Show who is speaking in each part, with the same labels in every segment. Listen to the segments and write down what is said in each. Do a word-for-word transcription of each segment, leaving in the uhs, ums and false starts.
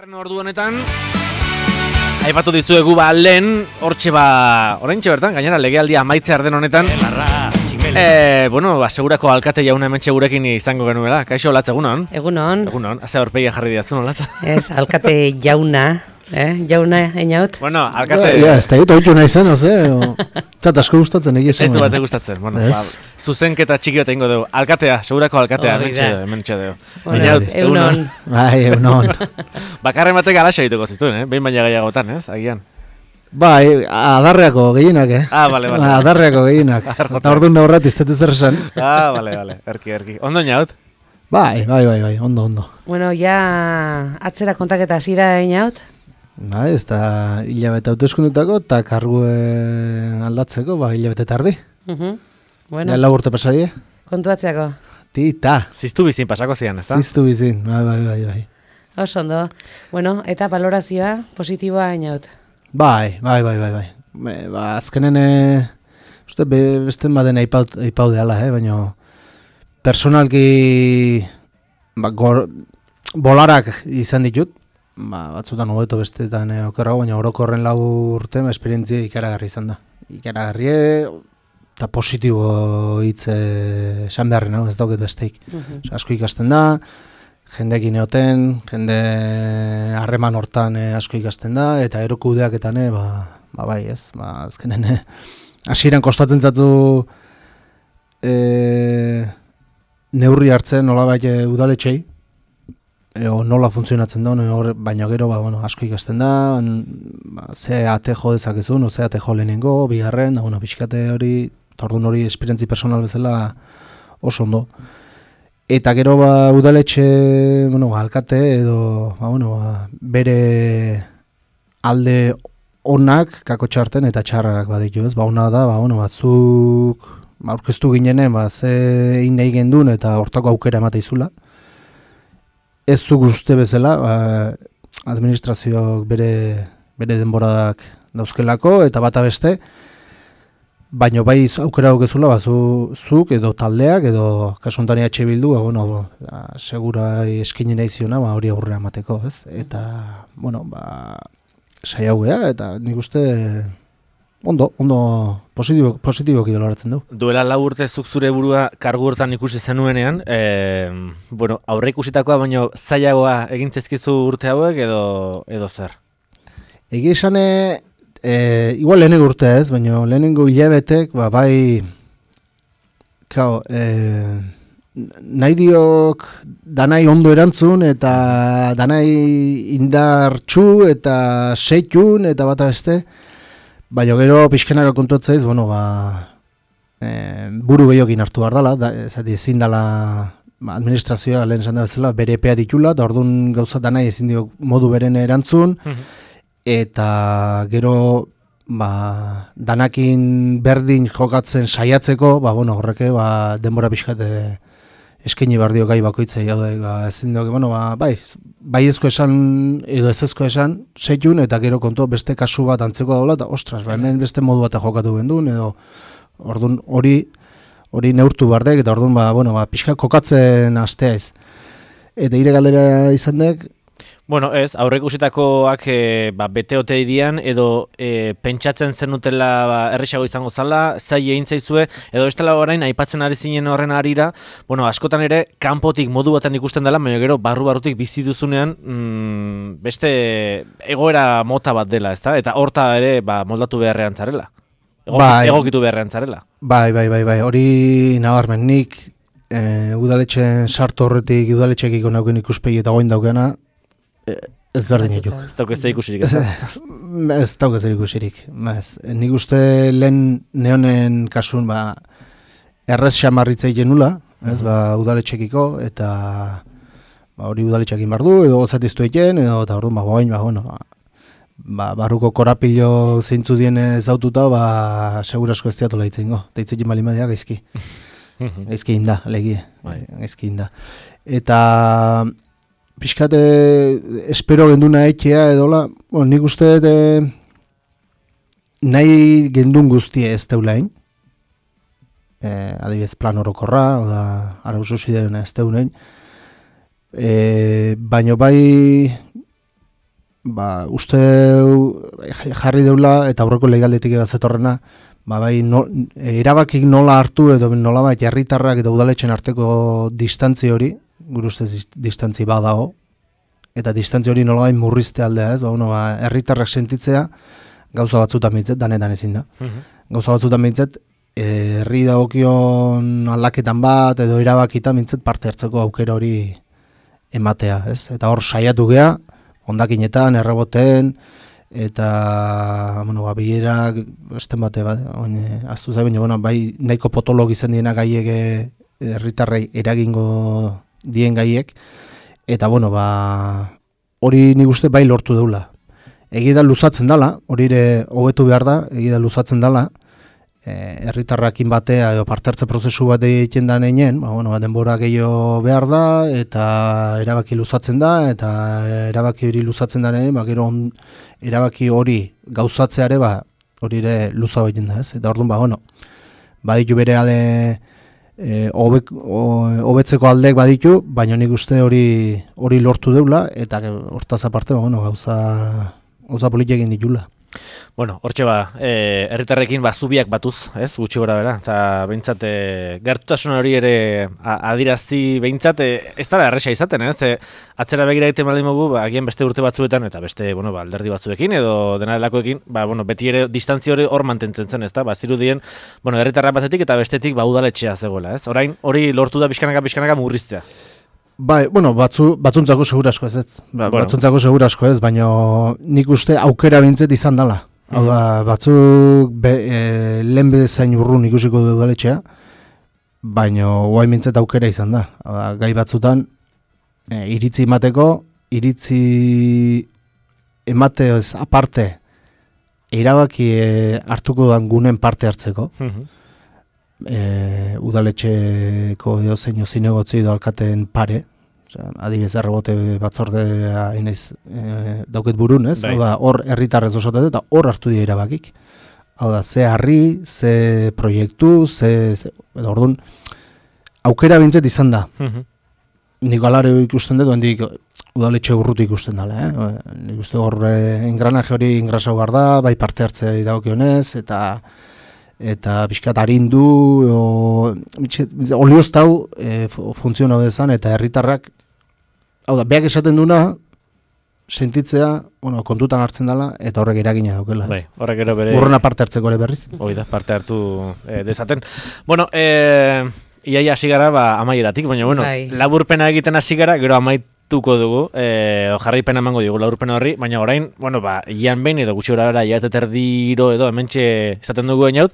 Speaker 1: Bigarren ordu honetan aipatu dizuegu ba lehen hortxe ba oraintxe bertan gainera legealdia amaitze arden honetan eh bueno, ba segurako alkate jauna hementxe gurekin izango genuela. Kaixo Latz, egunon?
Speaker 2: Egunon.
Speaker 1: Egunon. Haze aurpegia jarri diazun, Latz.
Speaker 2: Ez, alkate jauna, eh? Jauna einaut.
Speaker 1: Bueno, alkate
Speaker 3: Ja, ez da ditu oitu nahi zen, oze? Zat asko gustatzen egia esan.
Speaker 1: Ez du bate gustatzen. Bueno, ba, zuzenketa txiki bat egingo dugu. Alkatea, segurako alkatea hementxe, hementxe dugu.
Speaker 2: Bueno, egunon.
Speaker 3: Bai, egunon.
Speaker 1: Bakarren batek alaxa dituko zituen, eh? Behin baina gehiagotan, ez? Agian.
Speaker 3: Bai, adarreako gehienak, eh?
Speaker 1: Ah, bale, bale.
Speaker 3: Adarreako gehienak. Eta orduan naurrat iztetu zer esan.
Speaker 1: Ah, bale, bale. Erki, erki. Ondo inaut?
Speaker 3: Bai, bai, bai, bai, ondo, ondo.
Speaker 2: Bueno, ja atzera kontaketa hasi da einaut.
Speaker 3: Bai, ez da hilabete hauteskundetako eta kargue aldatzeko, ba, hilabete tardi.
Speaker 2: Uh-huh. Bueno.
Speaker 3: Ja, lau urte pasadie.
Speaker 2: Kontuatzeako.
Speaker 3: Tita.
Speaker 1: Ziztu bizin pasako zian, ez da?
Speaker 3: Ziztu bizin, bai, bai, bai, bai.
Speaker 2: Oso ondo. Bueno, eta valorazioa positiboa einaut.
Speaker 3: Bai, bai, bai, bai, bai. Be, ba, azkenen, e, uste, be, beste baden aipau, aipau deala, eh, baina personalki ba, gor, bolarak izan ditut, ba, batzutan hobeto bestetan e, okerrago, baina orokorren lau urte, ba, esperientzia ikaragarri izan da. Ikaragarri eta positibo hitz esan beharren, no? Ez dauket besteik. Uh-huh. Osa, asko ikasten da, jendekin eoten, jende harreman hortan eh, asko ikasten da, eta ero kudeaketan, eh, ba, ba bai ez, ba, azkenen, eh, hasieran kostatzen zatu eh, neurri hartzen nolabait eh, udaletxei, eh, o nola funtzionatzen da, hor, baina gero ba, bueno, asko ikasten da, ba, ze ate jo dezakezun, o ze ate jo lehenengo, bigarren, da, bueno, pixkate hori, tordun hori esperientzi personal bezala oso ondo. Eta gero ba udaletxe, bueno, alkate edo ba, bueno, ba, bere alde onak kakotxa harten eta txarrak baditu, ez? Ba ona da, ba bueno, batzuk ba aurkeztu ginenen, ba ze egin nahi gendun eta hortako aukera emate izula. Ez zu uste bezala, ba, administrazioak bere bere denborak dauzkelako eta bata beste. Baina bai aukera daukezula, ba, zu, zuk edo taldeak edo kasu honetan E H Bildu, ba, bueno, ba, segura eskaini nahi ziona, ba, hori aurrera emateko, ez? Eta, bueno, ba, saiatu gea, eta nik uste ondo, ondo positibo, positiboki doloratzen du.
Speaker 1: Duela lau urte zuk zure burua kargu hortan ikusi zenuenean, e, bueno, aurre ikusitakoa, baina zailagoa egin zaizkizu urte hauek edo, edo zer?
Speaker 3: Egi esan, E, igual lehenengo urte ez, baina lehenengo hilabetek, ba, bai, kao, e, nahi diok danai ondo erantzun, eta danai indartxu, eta seitun, eta bata beste, baina gero pixkenaka kontuatzeiz, bueno, ba, e, buru behiokin hartu behar dela, da, zati, ezin dela ba, administrazioa lehen esan da bezala, bere epea ditula, eta orduan gauza danai ezin diok modu beren erantzun, eta gero ba, danakin berdin jokatzen saiatzeko, ba, bueno, horreke ba, denbora pixkate eskaini behar dio gai bakoitzei, hau da, ba, ezin dugu, bueno, ba, bai, bai ezko esan edo ez ezko esan, seitun, eta gero kontu beste kasu bat antzeko daula, eta ostras, ba, hemen beste modu bat jokatu gendun, edo orduan hori hori neurtu bardek, eta orduan ba, bueno, ba, pixka kokatzen astea ez. Eta ire galdera izan dek,
Speaker 1: bueno, ez, aurre ikusitakoak e, ba, bete ote dian, edo e, pentsatzen zenutela ba, errexago izango zala, zai egin zaizue, edo ez dela orain aipatzen ari zinen horren arira, bueno, askotan ere, kanpotik modu baten ikusten dela, baina gero, barru-barrutik bizi duzunean, mm, beste egoera mota bat dela, ezta? Eta horta ere, ba, moldatu beharrean zarela. Ego, bai, egokitu beharrean zarela.
Speaker 3: Bai, bai, bai, bai, hori nabarmen nik, e, udaletxen sartu horretik, udaletxekiko nauken ikuspegi eta goin daukena, ez berdin ejuk.
Speaker 1: Ez dauk ez da ikusirik, ez da?
Speaker 3: Ez dauk ez da ikusirik. Nik uste lehen neonen kasun, ba, errez xamarritzei genula, ez, ba, udaletxekiko, eta ba, hori udaletxekin behar du, edo gozatiztu eken, edo, eta hori, ba, bain, ba, bueno, ba, barruko korapilo zeintzu dien zaututa, ba, segurasko ez diatola itzengo. Eta itzekin bali madia, gaizki. Gaizki inda, legie, gaizki inda. Eta pixkate espero genduna etxea edola, bueno, nik uste e, nahi gendun guztie ez teulain, e, adibidez plan orokorra, oda arauzu zidean ez teunein, e, baino bai ba, uste jarri deula eta aurreko legaldetik egazetorrena, ba, bai, no, erabakik nola hartu edo nola bai herritarrak eta udaletxen arteko distantzi hori, gure ustez distantzi badago, eta distantzi hori nola bai murrizte aldea, ez? Ba, bueno, ba, herritarrak sentitzea gauza batzutan bintzet, danetan ezin da. Uh-huh. Gauza batzutan bintzet, herri dagokion aldaketan bat edo erabakitan bintzet parte hartzeko aukera hori ematea, ez? Eta hor saiatu gea, hondakinetan, erreboten, eta, bueno, ba, bilerak, esten bate, ba, aztu zai, baina, bueno, bai, nahiko potolog izan diena gaiek herritarrei eragingo dien gaiek, eta, bueno, ba, hori nik uste bai lortu deula. Egi da luzatzen dala, hori ere hobetu behar da, egi da luzatzen dala, herritarrakin batea edo parte hartze prozesu bat egiten da neinen, ba, bueno, ba, denbora gehiago behar da, eta erabaki luzatzen da, eta erabaki hori luzatzen da neinen, ba, gero on, erabaki hori gauzatzeare, ba, hori ere luza egiten da, ez? Eta orduan, ba, bueno, baditu bere ale e, obek, o, hobetzeko aldeek baditu, baina nik uste hori hori lortu deula, eta hortaz aparte, ba, bueno, gauza, gauza politik egin ditula.
Speaker 1: Bueno, hortxe ba, e, herritarrekin ba, zubiak batuz, ez, gutxi gora bera, eta behintzat, e, gertutasun hori ere a, adirazi behintzat, e, ez dara erresa izaten, ez, e, atzera begira egiten baldin mogu, ba, agian beste urte batzuetan, eta beste, bueno, ba, alderdi batzuekin, edo dena delakoekin, ba, bueno, beti ere distantzia hori hor mantentzen zen, ez da, ba, zirudien, bueno, herritarra batetik eta bestetik ba, udaletxea zegoela, ez, orain, hori lortu da pixkanaka-pixkanaka murriztea.
Speaker 3: Bai, bueno, batzu, batzuntzako segura asko ez, ez. Ba, bueno. Batzuntzako segura asko ez, baina nik uste aukera bintzet izan dela. Hau da, batzuk be, e, lehen bedezain urrun ikusiko du udaletxea, baina guai bintzet aukera izan da. Hau da, gai batzutan, e, iritzi emateko, iritzi emate ez aparte, erabaki e, hartuko dan gunen parte hartzeko. Uh-huh. E, udaletxeko edo zein zinegotzi edo alkaten pare, osea, adibidez errebote batzordea inaiz e, dauket burun, ez? Hau da, hor herritarrez osotate eta hor hartu dira erabakik. Hau da, ze harri, ze proiektu, ze, ze edo orduan, aukera bintzet izan da. Uh-huh. Nik alare ikusten dut, hendik udaletxe urrutu ikusten dela, eh? Nik uste hor engranaje hori ingrasau behar da, bai parte hartzea dagokionez, eta eta pixkat arindu, olioztau e, funtziono dezan, eta herritarrak, hau da, beak esaten duna, sentitzea, bueno, kontutan hartzen dela, eta horrek eragina daukela.
Speaker 1: Bai, horrek ero bere...
Speaker 3: Urruna parte hartzeko ere berriz.
Speaker 1: Hoi da, parte hartu e, dezaten. Bueno, e, iaia hasi gara, ba, amaieratik, baina, bueno, bai. Laburpena egiten hasi gara, gero amaituko dugu, e, jarraipena emango dugu laburpena horri, baina orain, bueno, ba, ian behin edo gutxi horara, iaet eterdiro edo, hementxe izaten dugu einaut,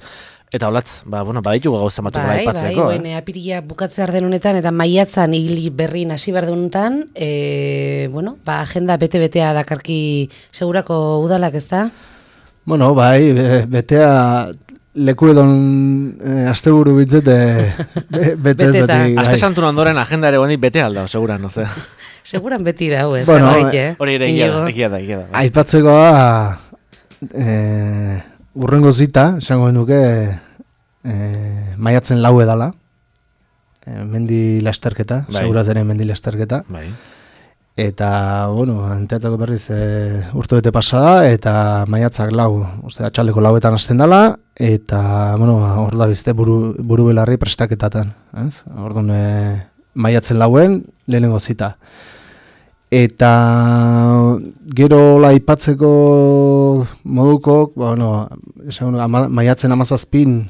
Speaker 1: eta holatz, ba, bueno, baditugu gauza batzuk bai, aipatzeko.
Speaker 2: Bai, bai, apiria bukatze arden honetan, eta maiatzan hili berrin hasi behar honetan, e, bueno, ba, agenda bete-betea dakarki segurako udalak, ez da?
Speaker 3: Bueno, bai, betea... Leku edon eh, asteburu bitzete be, bete ezatik.
Speaker 1: Aste santun ondoren agenda ere guandik bete alda, seguran, no ze.
Speaker 2: Seguran beti da, ez?
Speaker 3: Bueno,
Speaker 1: hori ere egia da, egia da, egia da.
Speaker 3: Aipatzekoa eh, urrengo zita, esango genuke eh, maiatzen lau edala, eh, mendi lasterketa, bai. Seguraz ere mendi lasterketa. Bai. Eta, bueno, enteatzako berriz e, urte bete pasada, eta maiatzak lau, uste, atxaldeko lauetan hasten dela, eta, bueno, hor da bizte buru, buru belarri prestaketatan, ez? Orduan, e, maiatzen lauen, lehenengo zita. Eta, gero laipatzeko modukok, bueno, esan, ama, maiatzen amazazpin,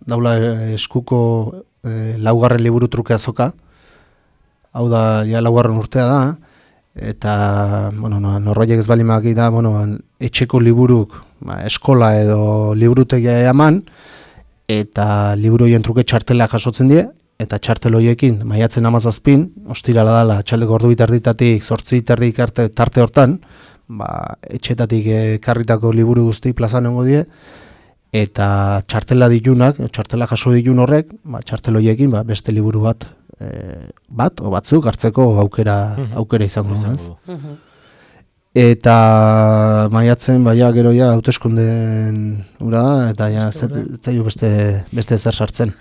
Speaker 3: daula eskuko e, laugarren liburu truke azoka, hau da, ja laugarren urtea da, eta, bueno, no, norbaitek ez balimak da, bueno, etxeko liburuk, ba, eskola edo liburutegia eman, eta liburu horien truke txartela jasotzen die, eta txartel horiekin, maiatzen amazazpin, ostirala dala, txaldeko ordu biterditatik, zortzi terdik arte tarte hortan, ba, etxetatik karritako liburu guzti plazan nengo die, eta txartela ditunak, txartela jaso ditun horrek, ba, txartel horiekin, ba, beste liburu bat, E, bat, o batzuk hartzeko aukera, aukera izango du, ez? Eta maiatzen, baia, gero ja, hauteskunden ura da, eta ja, zaio beste, beste zer sartzen.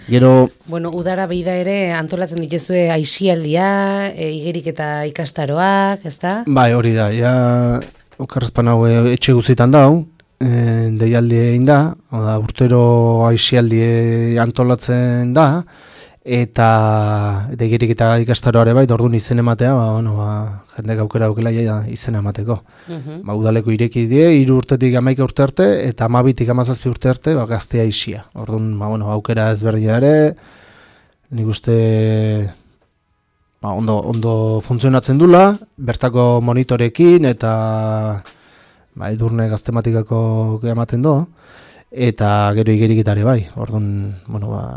Speaker 3: Gero...
Speaker 2: Bueno, udara beida ere antolatzen dituzue aisialdia, e, igerik eta ikastaroak, ezta?
Speaker 3: Bai, hori da, ja, okarrezpan hau etxe guzitan dau, e, deialdi egin da, oda, urtero aisialdi antolatzen da, eta eta igerik eta ikastaroare bai, orduan izen ematea, ba, bueno, ba, jendek aukera aukela ja izena emateko.
Speaker 2: Uh-huh.
Speaker 3: Ba, udaleko ireki die, hiru urtetik hamaika urte arte, eta hamabitik hamazazpi urte arte, ba, gaztea isia. Orduan, ba, bueno, aukera ezberdina ere, nik uste ba, ondo, ondo funtzionatzen dula, bertako monitorekin, eta ba, edurne gaztematikako ematen do, eta gero igeriketare bai. Orduan, bueno, ba,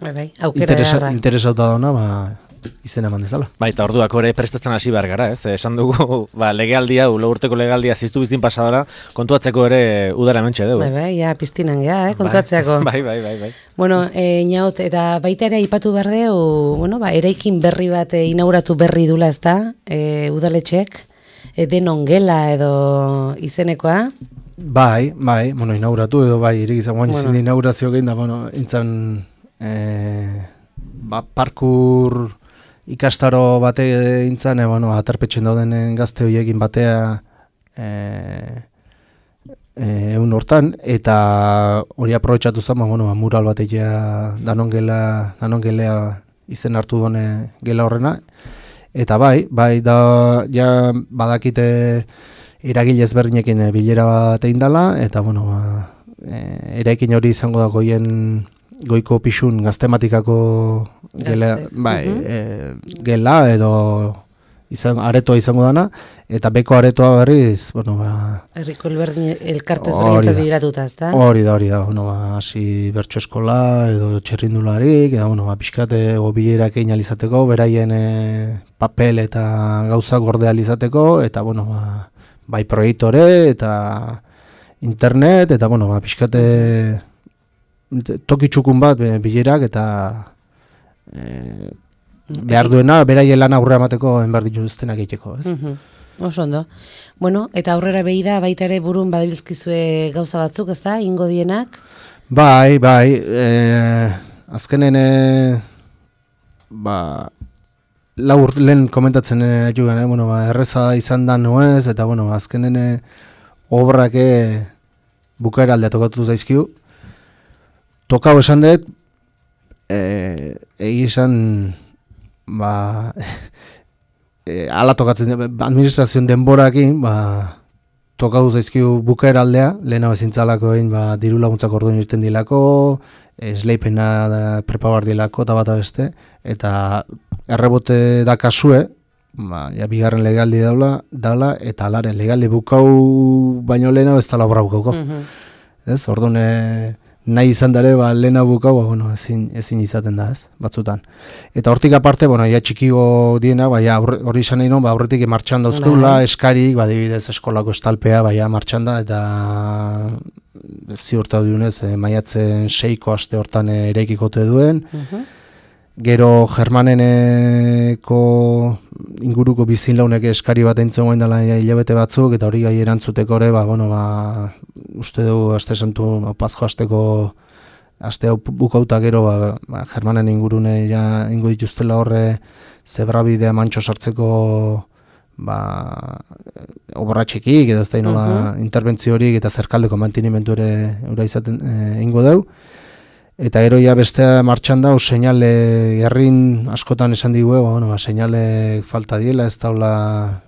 Speaker 2: Bai, bai, aukera
Speaker 3: interesa,
Speaker 2: beharra.
Speaker 3: interesauta dauna, ba, izena eman dezala.
Speaker 1: Bai, eta orduak ere prestatzen hasi behar gara, ez? Esan dugu, ba, legealdia, lau urteko legealdia ziztu biztin pasadara, kontuatzeko ere udara mentxe dugu.
Speaker 2: Bai, bai, ja, piztinan gea, eh, kontuatzeako.
Speaker 1: Bai, bai, bai, bai.
Speaker 2: Bueno, e, Inaut, eta baita ere aipatu behar dugu, bueno, ba, eraikin berri bat e, inauguratu berri dula, ez da, e, udaletxek, e, denon gela edo izenekoa.
Speaker 3: Bai, bai, bueno, inauguratu edo bai, irik izan guain
Speaker 2: Bueno.
Speaker 3: izin inaugurazio gehin da, bueno, intzan e, ba, parkur ikastaro bate intzan, e, bueno, aterpetxen dauden gazte horiekin batea e, e, egun hortan, eta hori aprobetxatu zen, ba, bueno, ba, mural bateia danongela, danongelea izen hartu dune gela horrena, eta bai, bai, da, ja badakite eragile ezberdinekin bilera bat egin dela, eta bueno, ba, e, eraikin hori izango da goien goiko pixun gaztematikako gela,
Speaker 2: Gazte.
Speaker 3: bai,
Speaker 2: Mhm.
Speaker 3: e, gela edo izan, aretoa izango dana, eta beko aretoa berriz, bueno, ba,
Speaker 2: Herriko elberdin elkartez
Speaker 3: Hori
Speaker 2: berritzat
Speaker 3: da.
Speaker 2: bideratuta, ez da?
Speaker 3: hori da, hori da, bueno, ba, hasi bertso eskola edo txerrindularik, eta bueno, ba, pixkate bilerak egin alizateko, beraien e, papel eta gauza gorde alizateko, eta bueno, ba, bai proiektore eta internet, eta bueno, ba, pixkate toki txukun bat e, bilerak, eta e, behar duena, beraien lan aurre emateko enbar dituztenak egiteko, ez?
Speaker 2: Mhm. Oso ondo. Bueno, eta aurrera behi da, baita ere burun badabilzkizue gauza batzuk, ez da, ingo dienak?
Speaker 3: Bai, bai, e, azkenen, e, ba, lau urt- lehen komentatzen e, jugan, e, bueno, ba, erreza izan da nuez, eta bueno, azkenen e, obrak e, bukaera aldea tokatu zaizkiu. Tokau esan dut, e, egi esan, ba, e, ala tokatzen, administrazioen denborakin, ba, tokatu zaizkiu bukaera aldea, lehena bezintzalako egin, ba, diru laguntzak orduan irten dilako, esleipena da prepabar dilako, eta bata beste, eta errebote da kasue, ba, ja, bigarren legaldi daula, daula, eta alaren legaldi bukau baino lehena ez dala obra bukauko.
Speaker 2: Mhm.
Speaker 3: Ez, orduan e, nahi izan dare, ba, lehena bukau, ba, bueno, ezin, ezin izaten da, ez, batzutan. Eta hortik aparte, bueno, ja txikigo diena, ba, ja, aurre- hori izan nahi non, ba, aurretik martxan dauzkeula,
Speaker 2: Bai.
Speaker 3: eskarik, ba, dibidez eskolako estalpea, ba, ja, martxan da, eta ziurtatu diunez, e, maiatzen seiko aste hortan e, eraikikote duen.
Speaker 2: Mhm.
Speaker 3: Gero Germaneneko inguruko bizin launek eskari bat entzuen goen dela ja, hilabete batzuk, eta hori gai erantzuteko ere, ba, bueno, ba, uste dugu aste santu, ba, Pasjo asteko aste hau bukauta gero, ba, ba, Germanen ingurune ja ingo dituztela horre zebrabidea mantxo sartzeko ba, obra txikik, edo ez da inola
Speaker 2: Mhm.
Speaker 3: interbentzio horik eta zerkaldeko mantenimentu ere ura izaten e, ingo deu. Eta gero ja bestea martxan da, seinale herrin askotan esan digu, ba, bueno, ba, seinale falta diela, ez daula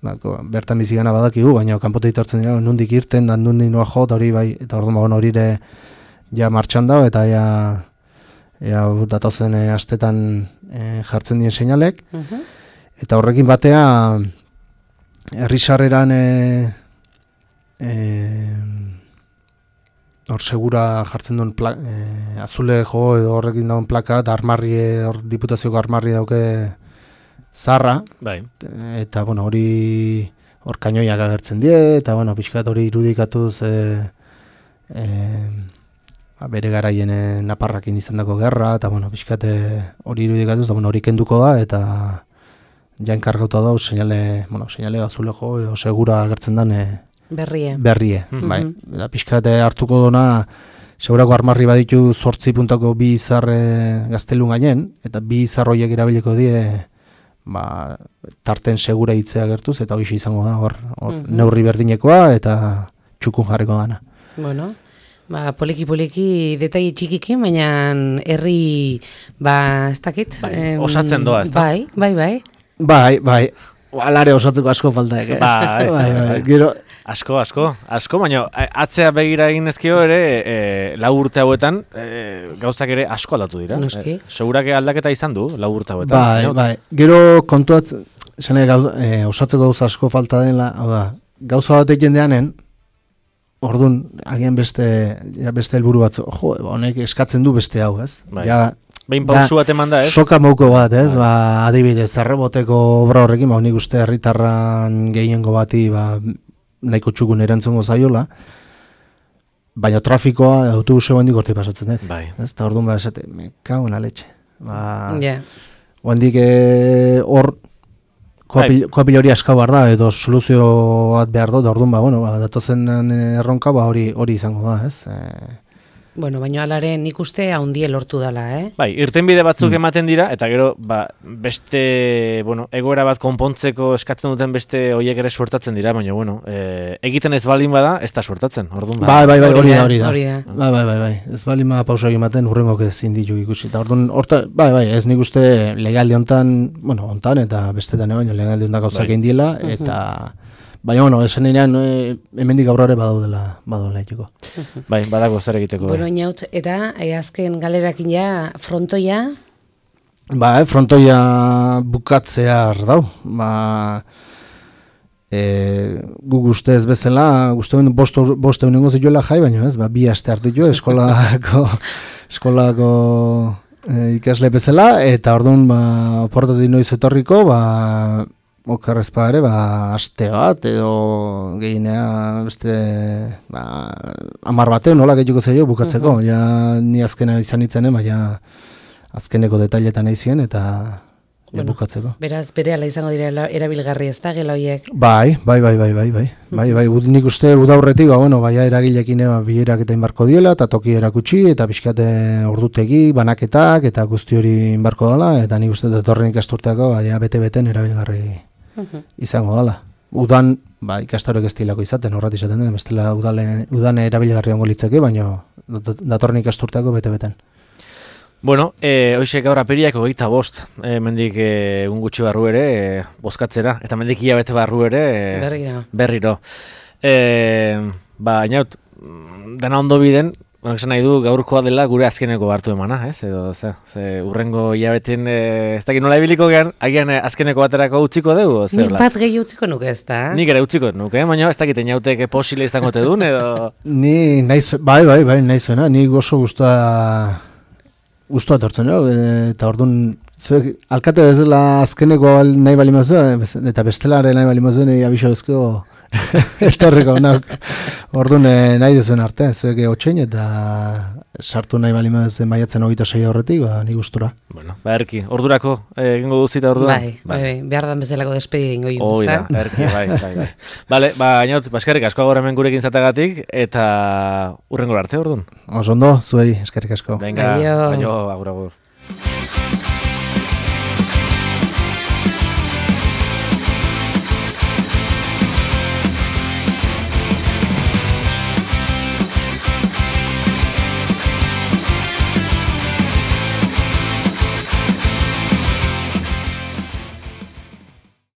Speaker 3: ba, ko- bertan bizigana badakigu, baina kanpotik etortzen dira, nundik irten, da nundik noa jo, eta hori bai, eta orduan ba, bueno, hori ere ja martxan da, eta ja, ja datozen e, astetan e, jartzen dien seinalek,
Speaker 2: Mhm.
Speaker 3: eta horrekin batea herrisarreran e, e, hor segura jartzen duen pla, e, azule jo edo horrekin dauen plaka, eta armarri, hor diputazioko armarri dauke zarra,
Speaker 1: Bai.
Speaker 3: eta bueno, hori hor kainoiak agertzen die, eta bueno, pixkat hori irudikatuz e, e, ba, bere garaien e, naparrakin izandako gerra, eta bueno, pixkat e, hori irudikatuz, eta bueno, hori kenduko da, eta ja enkargauta da, seinale, bueno, seinale azule jo edo segura agertzen den e,
Speaker 2: Berrie.
Speaker 3: berrie,
Speaker 2: Mhm.
Speaker 3: bai. Eta pixkate hartuko dona segurako armarri baditu zortzi puntako bi izar e, gaztelun gainen, eta bi izar horiek erabiliko die ba, tarten segura hitzea gertuz, eta hoxe izango da, hor, hor mm -hmm. neurri berdinekoa, eta txukun jarriko dana.
Speaker 2: Bueno, ba, poliki-poliki detai txikikin, baina herri, ba, ez dakit.
Speaker 1: Bai, em, osatzen doa, ez da?
Speaker 2: Bai, bai, bai.
Speaker 3: Bai, bai. Alare osatzeko asko faltaek, eh?
Speaker 1: Bai,
Speaker 3: bai, bai. Gero,
Speaker 1: asko, asko, asko, baina atzea begira egin ezkio ere, e, lau urte hauetan, e, gauzak ere asko aldatu dira.
Speaker 2: Noski.
Speaker 1: E, segurake aldaketa izan du, lau urte hauetan.
Speaker 3: Bai,
Speaker 1: Baina,
Speaker 3: bai. Gero kontuatz, zene, gauz, e, osatzeko gauza asko falta dela, hau da, gauza batek jendeanen, orduan, agian beste, ja beste helburu batzu, jo, honek eskatzen du beste hau, ez?
Speaker 1: Bai.
Speaker 3: Ja,
Speaker 1: behin pausu bat eman da, ez?
Speaker 3: Soka mauko bat, ez? Ba, adibidez, erreboteko obra horrekin, ba, nik uste herritarran gehiengo bati, ba, nahiko txukun erantzungo zaiola, baina trafikoa autobuse handik horti pasatzen dek.
Speaker 1: Bai.
Speaker 3: Ez, eta orduan ba, esate, me cago en la leche. Ba,
Speaker 2: Yeah.
Speaker 3: handik hor,
Speaker 1: Bai.
Speaker 3: koapil hori aska behar da, edo soluzio bat behar dut, orduan, ba, bueno, ba, datozen erronka, ba, hori hori izango da, ez? E,
Speaker 2: Bueno, baina alare nik uste haundie lortu dala, eh?
Speaker 1: Bai, irtenbide batzuk ematen dira, eta gero, ba, beste, bueno, egoera bat konpontzeko eskatzen duten beste hoiek ere suertatzen dira, baina, bueno, e, egiten ez baldin bada, ez da suertatzen, orduan.
Speaker 3: Bai, bai, bai, hori da, hori da.
Speaker 2: Hori da.
Speaker 3: Bai, bai, bai, bai. Ez baldin bada pausa ematen urrengok ezin ditu ikusi. Eta orduan, horta, bai, bai, ez nik uste legalde hontan, bueno, hontan eta bestetan, baina legalde hontan gauzak egin diela, eta... Baina, bueno, esan enean, e, hemendik aurrera badaudela, badaudela etxeko.
Speaker 1: Bai, badago zer egiteko.
Speaker 2: Bueno, inaut, eta e, azken galerakin ja, frontoia?
Speaker 3: Ba, eh, frontoia bukatzea dau. Ba, e, guk uste ez bezala, uste bost, bost egunengo zituela jai, baina ez, ba, bi aste hartu jo, eskolako, eskolako e, ikasle bezala, eta orduan, ba, oportatik noiz etorriko, ba, okarrezpa ere, ba, aste bat, edo gehinea, beste, ba, amar bateu, nola gehiuko zaio bukatzeko. Uh -huh. Ja, ni azkena izan itzenen, ba, ja, azkeneko detailetan aizien, eta ja,
Speaker 2: bueno,
Speaker 3: bukatzeko.
Speaker 2: Beraz, bere ala izango dira erabilgarri ez da, gela hoiek?
Speaker 3: Bai, bai, bai, bai, bai, bai, bai, bai, ud, nik uste udaurretik, ba, bueno, baina eragilekin ba, bilerak eta inbarko diela, eta toki erakutsi, eta pixkate ordutegi, banaketak, eta guzti hori inbarko dela, eta nik uste datorren ikasturteako, baina bete-beten erabilgarri izango dela. Udan, ba, ikastarok ez dilako izaten, horrat izaten den, bestela udale, udan erabilgarri ongo litzeke, baina datorren ikasturteako bete-beten.
Speaker 1: Bueno, e, hoxe gaur apiriak hogeita bost, e, mendik egun e, gutxi barru ere, e, bozkatzera, eta mendik hilabete barru ere, e,
Speaker 2: berriro.
Speaker 1: berriro. E, ba, inaut, dena ondo biden, bueno, esan nahi du gaurkoa dela gure azkeneko hartu emana, ez? Edo, ze, ze urrengo hilabeten, e, ez dakit nola ibiliko gehan, agian e, azkeneko baterako utziko dugu?
Speaker 2: Nik bat gehi utziko nuke ez da?
Speaker 1: Nik ere utziko nuke, baina ez dakit inauteke posile izango te duen, edo...
Speaker 3: Ni, nahiz, bai, bai, bai, nahi zuena, ni oso guztua... Guztua tortzen, jo, eta orduan, zuek, alkate bezala azkeneko nahi bali mazuen, eta bestelare nahi bali mazuen, abiso ezko etorriko, orduan nahi duzuen arte, zuek otxein, eta sartu nahi bali mazuen maiatzen hogeita sei horretik, ba, ni gustura.
Speaker 1: Bueno, ba, erki, ordurako, egingo duzita orduan?
Speaker 2: Bai, bai, bai, behar dan bezalako despedi egingo egin
Speaker 1: duzta. Hoi da, erki, bai, bai, bai. Bale, ba, inaut, baskerrik asko gaur hemen gurekin zatagatik, eta urrengo arte orduan.
Speaker 3: Oso ondo, zuei, eskerrik asko.
Speaker 1: Venga, aio, agur, agur.